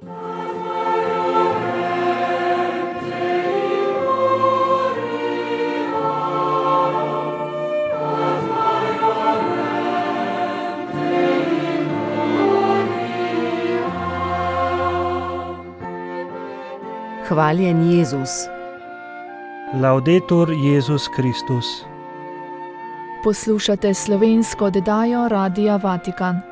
Hvaljen Jezus. Laudetur Jezus Kristus. Poslušate slovensko oddajo Radia Vatikan.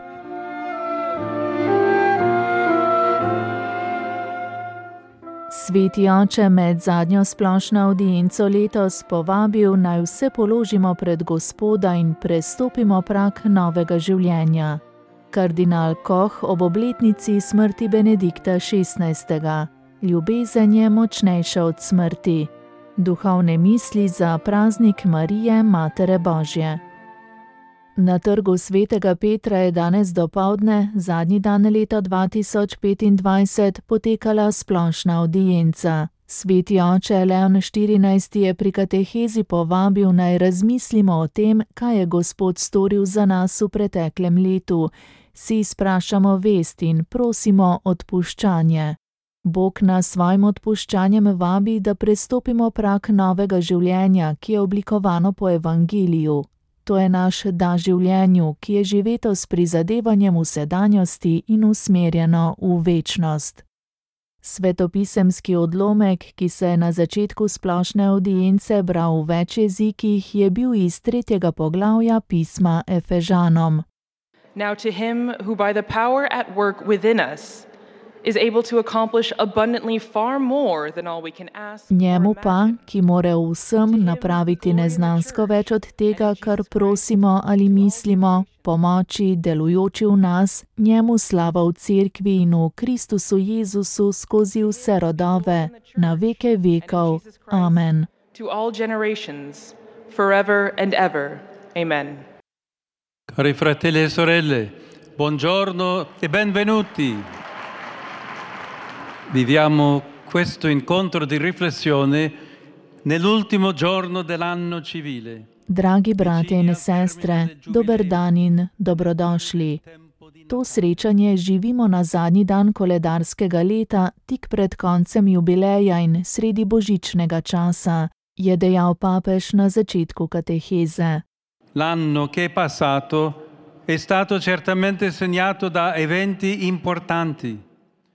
Sveti oče med zadnjo splošno avdienco letos povabil, naj vse položimo pred Gospoda in prestopimo prag novega življenja. Kardinal Koch ob obletnici smrti Benedikta XVI. Ljubezen je močnejša od smrti. Duhovne misli za praznik Marije, Matere Božje. Na trgu Svetega Petra je danes dopoldne, zadnji dan leta 2025, potekala splošna avdienca. Sveti oče Leon XIV. Je pri katehezi povabil, naj razmislimo o tem, kaj je Gospod storil za nas v preteklem letu. Si sprašamo vest in prosimo odpuščanje. Bog nas svojim odpuščanjem vabi, da prestopimo prag novega življenja, ki je oblikovano po evangeliju. To je naš da življenju, ki je živeto s prizadevanjem v sedanjosti in usmerjeno v večnost. Svetopisemski odlomek, ki se je na začetku splošne avdience bral v več jezikih, je bil iz 3. poglavja pisma Efežanom. Now to him who by the power at work within us is able to accomplish abundantly far more than all we can ask. Njemu pa, ki more vsem napraviti neznansko več od tega, kar prosimo ali mislimo, pomoči delujoči v nas, njemu slava v Cerkvi in v Kristusu Jezusu skozi vse rodove, na veke vekov. Amen. To all generations, forever and ever. Amen. Cari fratelli e sorelle, buongiorno e benvenuti. Viviamo questo incontro di riflessione nell'ultimo giorno dell'anno civile. Dragi bratje in sestre, dober dan in dobrodošli. To srečanje živimo na zadnji dan koledarskega leta, tik pred koncem jubileja in sredi božičnega časa, je dejal papež na začetku kateheze. L'anno che è passato è stato certamente segnato da eventi importanti.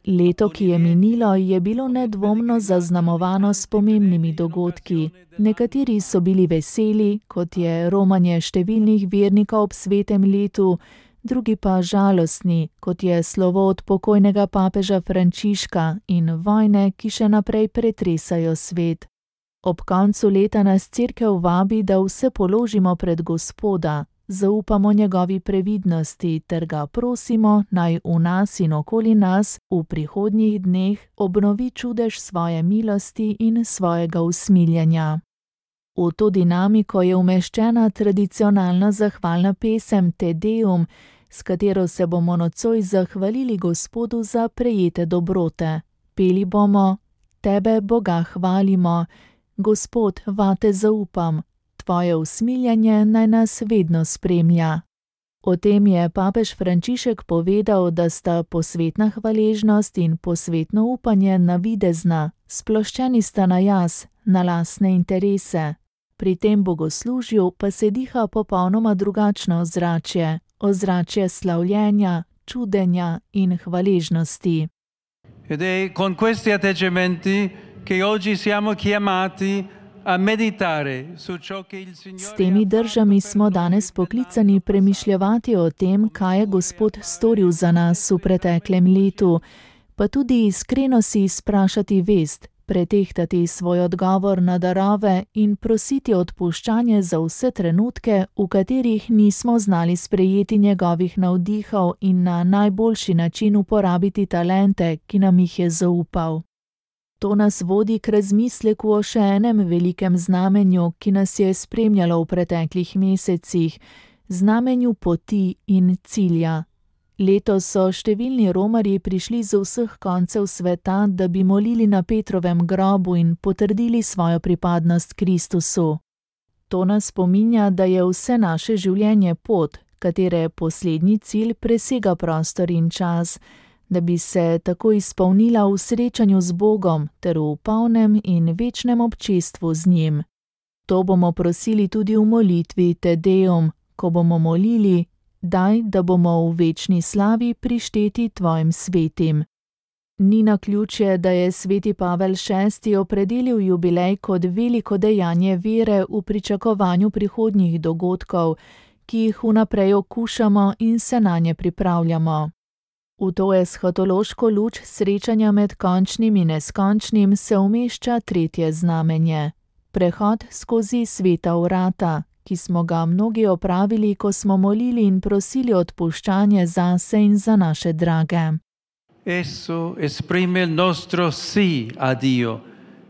Leto, ki je minilo, je bilo nedvomno zaznamovano s pomembnimi dogodki. Nekateri so bili veseli, kot je romanje številnih vernikov ob svetem letu, drugi pa žalostni, kot je slovo od pokojnega papeža Frančiška in vojne, ki še naprej pretresajo svet. Ob koncu leta nas Cerkev vabi, da vse položimo pred Gospoda, zaupamo njegovi previdnosti ter ga prosimo, naj v nas in okoli nas v prihodnjih dneh obnovi čudež svoje milosti in svojega usmiljenja. V to dinamiko je umeščena tradicionalna zahvalna pesem Te Deum, s katero se bomo nocoj zahvalili Gospodu za prejete dobrote. Peli bomo: Tebe, Boga, hvalimo, Gospod, vate zaupam, Tvoje usmiljanje naj nas vedno spremlja. O tem je papež Frančišek povedal, da sta posvetna hvaležnost in posvetno upanje navidezna, sploščeni sta na jaz, na lastne interese. Pri tem bogoslužju pa se diha popolnoma drugačno ozračje, ozračje slavljenja, čudenja in hvaležnosti. Ed è con questi atteggiamenti che oggi siamo chiamati a meditare su ciò che il Signore. S temi držami smo danes poklicani premišljevati o tem, kaj je Gospod storil za nas v preteklem letu, pa tudi iskreno si sprašati vest, pretehtati svoj odgovor na darove in prositi odpuščanje za vse trenutke, v katerih nismo znali sprejeti njegovih navdihov in na najboljši način uporabiti talente, ki nam jih je zaupal. To nas vodi k razmisleku o še enem velikem znamenju, ki nas je spremljalo v preteklih mesecih, znamenju poti in cilja. Letos so številni romarji prišli z vseh koncev sveta, da bi molili na Petrovem grobu in potrdili svojo pripadnost Kristusu. To nas spominja, da je vse naše življenje pot, katere poslednji cilj presega prostor in čas, da bi se tako izpolnila v srečanju z Bogom ter v polnem in večnem občestvu z njim. To bomo prosili tudi v molitvi Te Deum, ko bomo molili: daj, da bomo v večni slavi prišteti tvojim svetim. Ni naključje, da je sveti Pavel VI opredelil jubilej kot veliko dejanje vere v pričakovanju prihodnjih dogodkov, ki jih vnaprej okušamo in se nanje pripravljamo. V to eshatološko luč srečanja med končnim in neskončnim se umešča tretje znamenje: prehod skozi sveta vrata, ki smo ga mnogi opravili, ko smo molili in prosili odpuščanje zase in za naše drage. Esso esprime il nostro sì a Dio,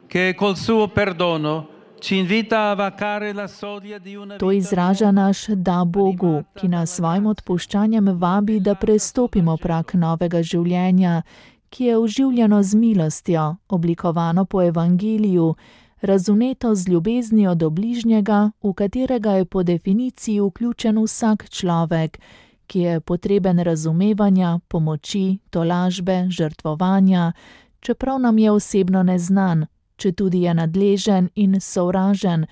che col suo perdono ci invita a vacare la soglia di una To izraža naš da Bogu, ki nas svojim odpuščanjem vabi, da prestopimo prag novega življenja, ki je oživljeno z milostjo, oblikovano po evangeliju, razumeto z ljubeznijo do bližnjega, v katerega je po definiciji vključen vsak človek, ki je potreben razumevanja, pomoči, tolažbe, žrtvovanja, čeprav nam je osebno neznan, četudi je nadležen in sovražen,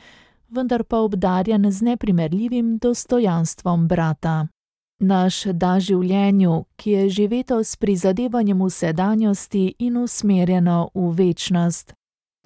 vendar pa obdarjen z neprimerljivim dostojanstvom brata. Naš da življenju, ki je živeto s prizadevanjem v sedanjosti in usmerjeno v večnost.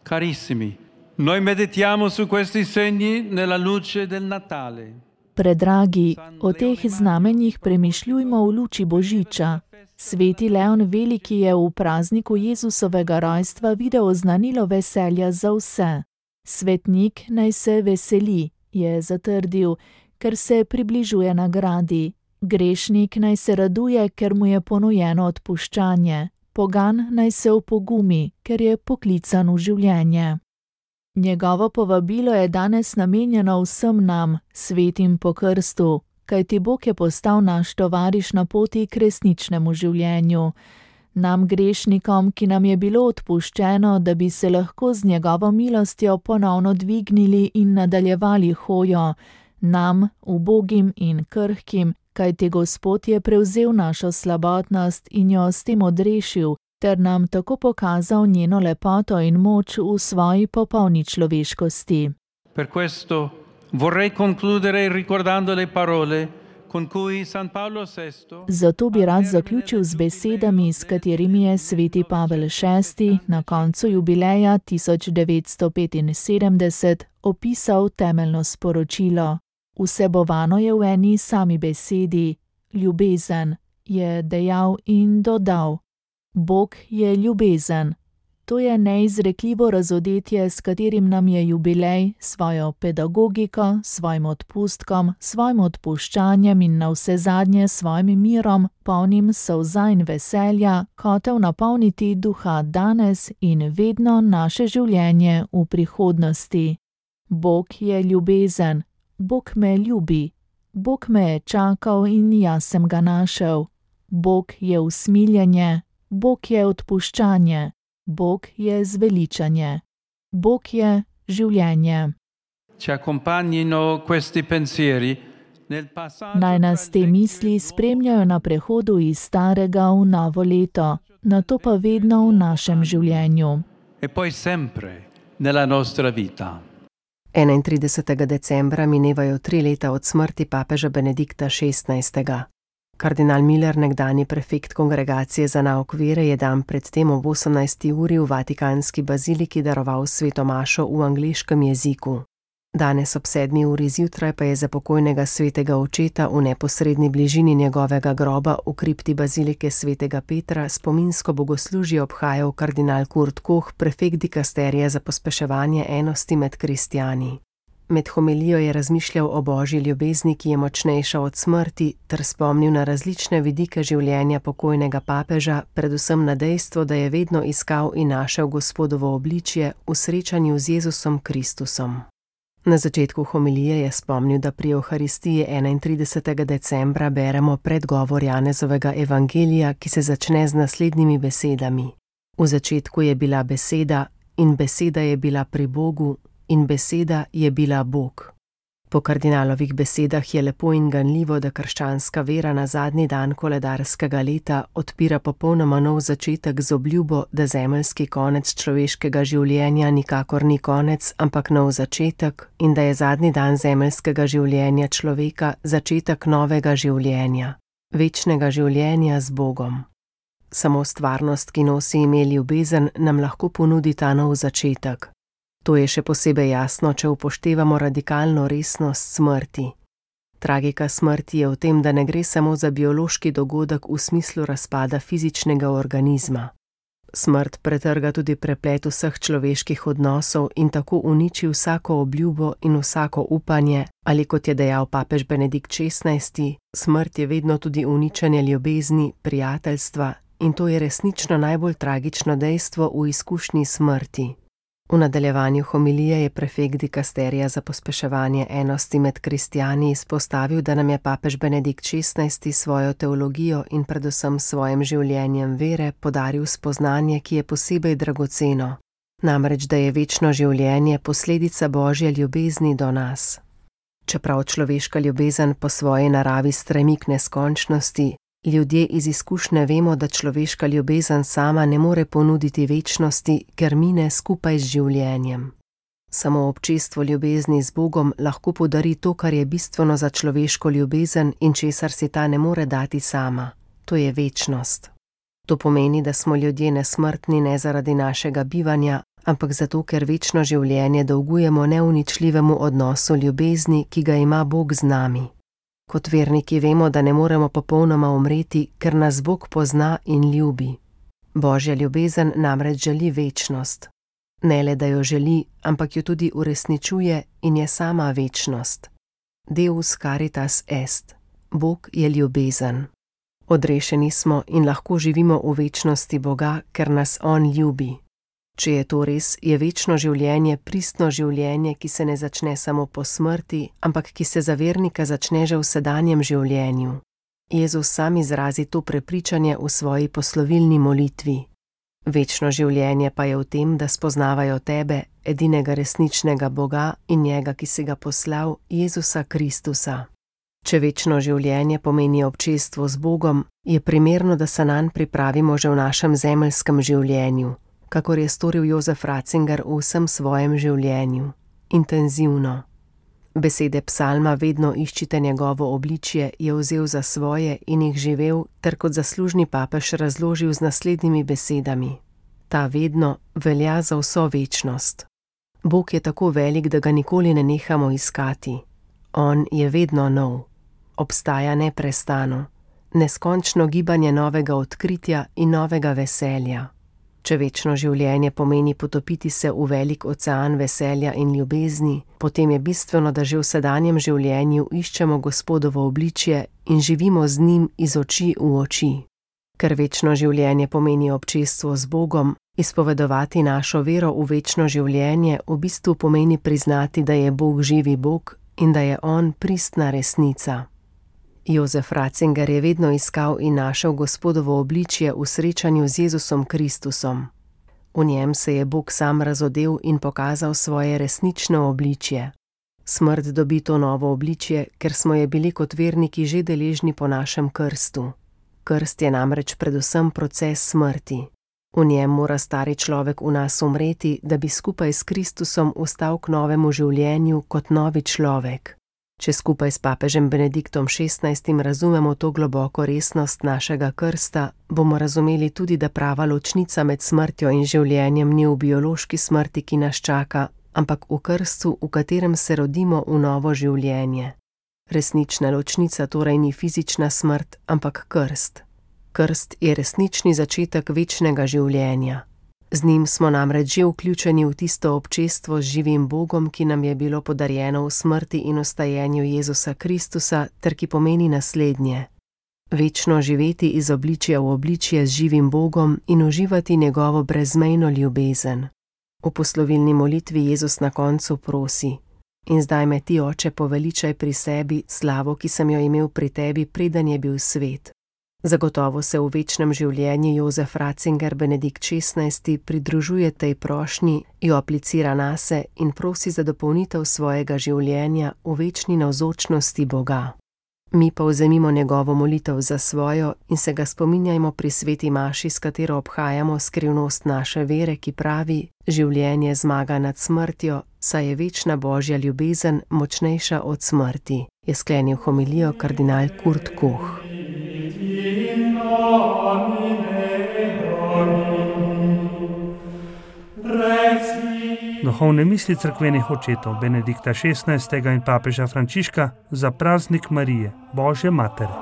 Carissimi, noi meditiamo su questi segni nella luce del Natale. Predragi, o teh znamenjih premišljujmo v luči Božiča. Sveti Leon Veliki je v prazniku Jezusovega rojstva videl oznanilo veselja za vse. Svetnik naj se veseli, je zatrdil, ker se približuje nagradi. Grešnik naj se raduje, ker mu je ponujeno odpuščanje. Pogan naj se opogumi, ker je poklican v življenje. Njegovo povabilo je danes namenjeno vsem nam, svetim po krstu, kajti Bog je postal naš tovariš na poti k resničnemu življenju. Nam grešnikom, ki nam je bilo odpuščeno, da bi se lahko z njegovo milostjo ponovno dvignili in nadaljevali hojo, nam, ubogim in krhkim, kajti Gospod je prevzel našo slabotnost in jo s tem odrešil, ter nam tako pokazal njeno lepoto in moč v svoji popolni človeškosti. Per questo vorrei concludere ricordando le parole con cui San Paolo VI. Zato bi rad zaključil z besedami, s katerimi je sveti Pavel VI na koncu jubileja 1975 opisal temeljno sporočilo. Vsebovano je v eni sami besedi: ljubezen, je dejal in dodal. Bog je ljubezen. To je neizrekljivo razodetje, s katerim nam je jubilej svojo pedagogiko, svojim odpustkom, svojim odpuščanjem in navsezadnje svojim mirom, polnim solza in veselja, hotel napolniti duha danes in vedno naše življenje v prihodnosti. Bog je ljubezen. Bog me ljubi. Bog me je čakal in jaz sem ga našel. Bog je usmiljenje. Bog je odpuščanje. Bog je zveličanje. Bog je življenje. Ci accompagnino questi pensieri nel passaggio. Naj nas te misli spremljajo na prehodu iz starega v novo leto, nato pa vedno v našem življenju. E poi sempre nella nostra vita. 31. decembra minevajo 3 leta od smrti papeža Benedikta XVI. Kardinal Miller, nekdanji prefekt Kongregacije za nauk vere, je dan predtem ob 18. uri v Vatikanski baziliki daroval sveto mašo v angleškem jeziku. Danes ob 7. uri zjutraj pa je za pokojnega svetega očeta v neposredni bližini njegovega groba v kripti bazilike svetega Petra spominsko bogoslužje obhajal kardinal Kurt Koch, prefekt dikasterija za pospeševanje enosti med kristjani. Med homilijo je razmišljal o božji ljubezni, ki je močnejša od smrti, ter spomnil na različne vidike življenja pokojnega papeža, predvsem na dejstvo, da je vedno iskal in našel Gospodovo obličje v srečanju z Jezusom Kristusom. Na začetku homilije je spomnil, da pri Evharistiji 31. decembra beremo predgovor Janezovega evangelija, ki se začne z naslednjimi besedami. V začetku je bila beseda in beseda je bila pri Bogu in beseda je bila Bog. Po kardinalovih besedah je lepo in ganljivo, da krščanska vera na zadnji dan koledarskega leta odpira popolnoma nov začetek z obljubo, da zemeljski konec človeškega življenja nikakor ni konec, ampak nov začetek, in da je zadnji dan zemeljskega življenja človeka začetek novega življenja, večnega življenja z Bogom. Samo stvarnost, ki nosi ime ljubezen, nam lahko ponudi ta nov začetek. To je še posebej jasno, če upoštevamo radikalno resnost smrti. Tragika smrti je v tem, da ne gre samo za biološki dogodek v smislu razpada fizičnega organizma. Smrt pretrga tudi preplet vseh človeških odnosov in tako uniči vsako obljubo in vsako upanje, ali kot je dejal papež Benedikt XVI, smrt je vedno tudi uničenje ljubezni, prijateljstva, in to je resnično najbolj tragično dejstvo v izkušnji smrti. V nadaljevanju homilije je prefekt dikasterija za pospeševanje enosti med kristjani izpostavil, da nam je papež Benedikt XVI svojo teologijo in predvsem svojim življenjem vere podaril spoznanje, ki je posebej dragoceno, namreč da je večno življenje posledica Božje ljubezni do nas. Čeprav človeška ljubezen po svoji naravi stremi k neskončnosti, ljudje iz izkušnje vemo, da človeška ljubezen sama ne more ponuditi večnosti, ker mine skupaj z življenjem. Samo občestvo ljubezni z Bogom lahko podari to, kar je bistveno za človeško ljubezen in česar si ta ne more dati sama. To je večnost. To pomeni, da smo ljudje nesmrtni ne zaradi našega bivanja, ampak zato, ker večno življenje dolgujemo neuničljivemu odnosu ljubezni, ki ga ima Bog z nami. Kot verniki vemo, da ne moremo popolnoma umreti, ker nas Bog pozna in ljubi. Božja ljubezen namreč želi večnost. Ne le, da jo želi, ampak jo tudi uresničuje in je sama večnost. Deus caritas est. Bog je ljubezen. Odrešeni smo in lahko živimo v večnosti Boga, ker nas On ljubi. Če je to res, je večno življenje pristno življenje, ki se ne začne samo po smrti, ampak ki se za vernika začne že v sedanjem življenju. Jezus sam izrazi to prepričanje v svoji poslovilni molitvi. Večno življenje pa je v tem, da spoznavajo tebe, edinega resničnega Boga in njega, ki si ga poslal, Jezusa Kristusa. Če večno življenje pomeni občestvo z Bogom, je primerno, da se nanj pripravimo že v našem zemeljskem življenju, kakor je storil Jozef Ratzinger v vsem svojem življenju. Intenzivno. Besede psalma vedno iščite njegovo obličje je vzel za svoje in jih živel, ter kot zaslužni papež razložil z naslednjimi besedami. Ta vedno velja za vso večnost. Bog je tako velik, da ga nikoli ne nehamo iskati. On je vedno nov. Obstaja neprestano. Neskončno gibanje novega odkritja in novega veselja. Če večno življenje pomeni potopiti se v velik ocean veselja in ljubezni, potem je bistveno, da že v sedanjem življenju iščemo Gospodovo obličje in živimo z njim iz oči v oči. Ker večno življenje pomeni občestvo z Bogom, izpovedovati našo vero v večno življenje v bistvu pomeni priznati, da je Bog živi Bog in da je On pristna resnica. Jozef Ratzinger je vedno iskal in našel Gospodovo obličje v srečanju z Jezusom Kristusom. V njem se je Bog sam razodel in pokazal svoje resnično obličje. Smrt dobi to novo obličje, ker smo je bili kot verniki že deležni po našem krstu. Krst je namreč predvsem proces smrti. V njem mora stari človek v nas umreti, da bi skupaj s Kristusom vstal k novemu življenju kot novi človek. Če skupaj s papežem Benediktom XVI razumemo to globoko resnost našega krsta, bomo razumeli tudi, da prava ločnica med smrtjo in življenjem ni v biološki smrti, ki nas čaka, ampak v krstu, v katerem se rodimo v novo življenje. Resnična ločnica torej ni fizična smrt, ampak krst. Krst je resnični začetek večnega življenja. Z njim smo namreč že vključeni v tisto občestvo z živim Bogom, ki nam je bilo podarjeno v smrti in vstajenju Jezusa Kristusa, ter ki pomeni naslednje. Večno živeti iz obličja v obličje z živim Bogom in uživati njegovo brezmejno ljubezen. V poslovilni molitvi Jezus na koncu prosi: In zdaj me ti, Oče, poveličaj pri sebi, slavo, ki sem jo imel pri tebi, preden je bil svet. Zagotovo se v večnem življenju Jozef Ratzinger Benedikt XVI pridružuje tej prošnji, jo aplicira nase in prosi za dopolnitev svojega življenja v večni navzočnosti Boga. Mi pa vzemimo njegovo molitev za svojo in se ga spominjajmo pri sveti maši, s katero obhajamo skrivnost naše vere, ki pravi: življenje zmaga nad smrtjo, saj je večna Božja ljubezen močnejša od smrti, je sklenil homilijo kardinal Kurt Koch. Duhovne misli cerkvenih očetov Benedikta XVI. In papeža Frančiška za praznik Marije, Božje matere.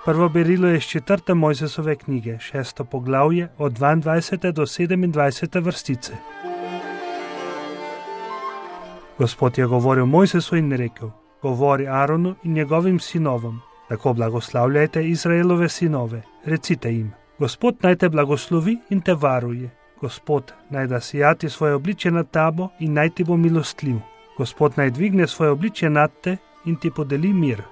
Prvo berilo je iz 4. Mojzesove knjige, 6. poglavje, od 22. do 27. vrstice. Gospod je govoril Mojzesu in rekel: govori Aronu in njegovim sinovom, tako blagoslavljajte Izraelove sinove, recite jim: Gospod naj te blagoslovi in te varuje. Gospod naj da sijati svoje obličje nad tabo in naj ti bo milostljiv. Gospod naj dvigne svoje obličje nad te in ti podeli mir.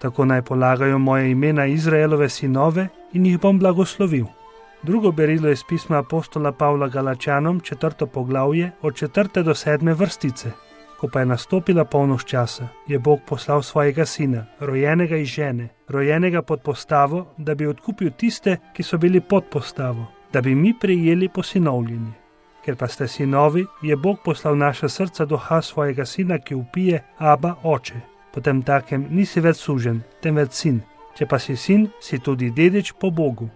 Tako naj polagajo moje imena Izraelove sinove in jih bom blagoslovil. Drugo berilo je iz pisma apostola Pavla Galačanom, 4. poglavje, od 4. do 7. vrstice. Ko pa je nastopila polnoč časa, je Bog poslal svojega sina, rojenega iz žene, rojenega pod postavo, da bi odkupil tiste, ki so bili pod postavo, da bi mi prejeli posinovljenje. Ker pa ste sinovi, je Bog poslal naša srca duha svojega sina, ki vpije: Aba, oče. Potem takem nisi več suženj, temveč sin. Če pa si sin, si tudi dedič po Bogu.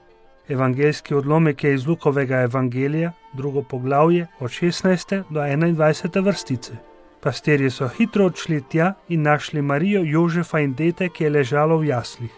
Evangeljski odlomek je iz Lukovega evangelija, 2. poglavje, od 16. do 21. vrstice. Pastirji so hitro odšli tja in našli Marijo, Jožefa in dete, ki je ležalo v jaslih.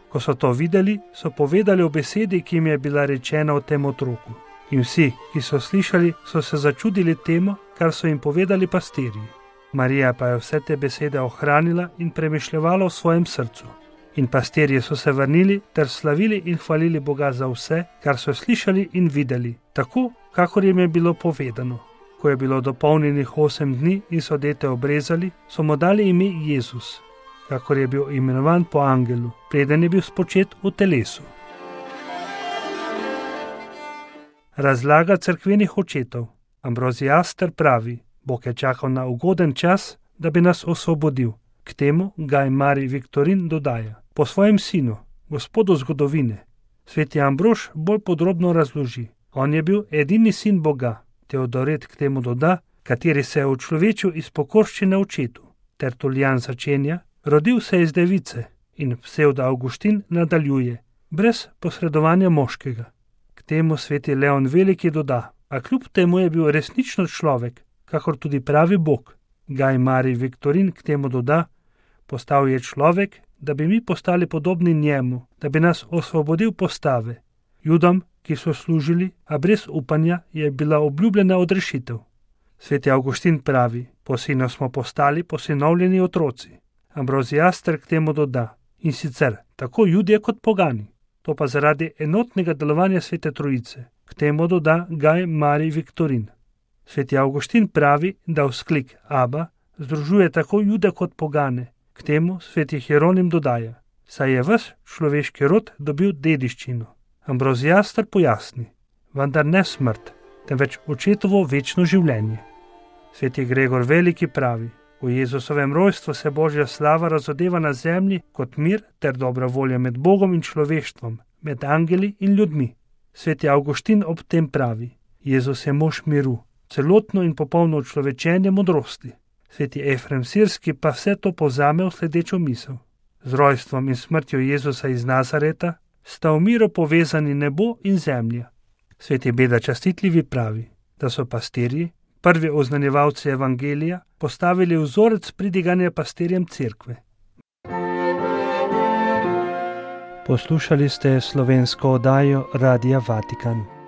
Ko so to videli, so povedali o besedi, ki jim je bila rečena o tem otroku. In vsi, ki so slišali, so se začudili temu, kar so jim povedali pastirji. Marija pa je vse te besede ohranila in premišljevala v svojem srcu. In pastirji so se vrnili ter slavili in hvalili Boga za vse, kar so slišali in videli, tako, kakor jim je bilo povedano. Ko je bilo dopolnjenih 8 dni in so dete obrezali, so mu dali ime Jezus, kakor je bil imenovan po angelu, preden je bil spočet v telesu. Razlaga cerkvenih očetov. Ambroziaster pravi: Bog je čakal na ugoden čas, da bi nas osvobodil. K temu Gaj Marij Viktorin dodaja: po svojem sinu, gospodu zgodovine. Sveti Ambrož bolj podrobno razloži: on je bil edini sin Boga. Teodoret k temu doda, kateri se je učlovečil iz pokorščine očetu. Tertulijan začenja: rodil se iz device, in Psevdo Avguštin nadaljuje: brez posredovanja moškega. K temu sveti Leon Veliki doda: a kljub temu je bil resnično človek, kakor tudi pravi Bog. Gaj Marij Viktorin k temu doda: postal je človek, da bi mi postali podobni njemu, da bi nas osvobodil postave. Judom, ki so služili, a brez upanja, je bila obljubljena odrešitev. Sveti Avguštin pravi: po sinu smo postali posinovljeni otroci. Ambroziaster k temu doda: in sicer tako Judje kot pogani. To pa zaradi enotnega delovanja Svete Trojice. K temu doda Gaj Marij Viktorin. Sveti Avguštin pravi, da vzklik Aba združuje tako Jude kot pogane. K temu sveti Hieronim dodaja: saj je ves človeški rod dobil dediščino. Ambroziaster pojasni: vendar ne smrt, temveč očetovo večno življenje. Sveti Gregor Veliki pravi: v Jezusovem rojstvu se Božja slava razodeva na zemlji kot mir ter dobra volja med Bogom in človeštvom, med angeli in ljudmi. Sveti Avguštin ob tem pravi: Jezus je mož miru, celotno in popolno učlovečenje modrosti. Sveti Efrem Sirski pa vse to povzame v sledečo misel: z rojstvom in smrtjo Jezusa iz Nazareta sta v miru povezani nebo in zemlja. Sveti Beda Častitljivi pravi, da so pastirji, prvi oznanjevalci evangelija, postavili vzorec pridiganja pastirjem cerkve. Poslušali ste slovensko oddajo Radia Vatikan.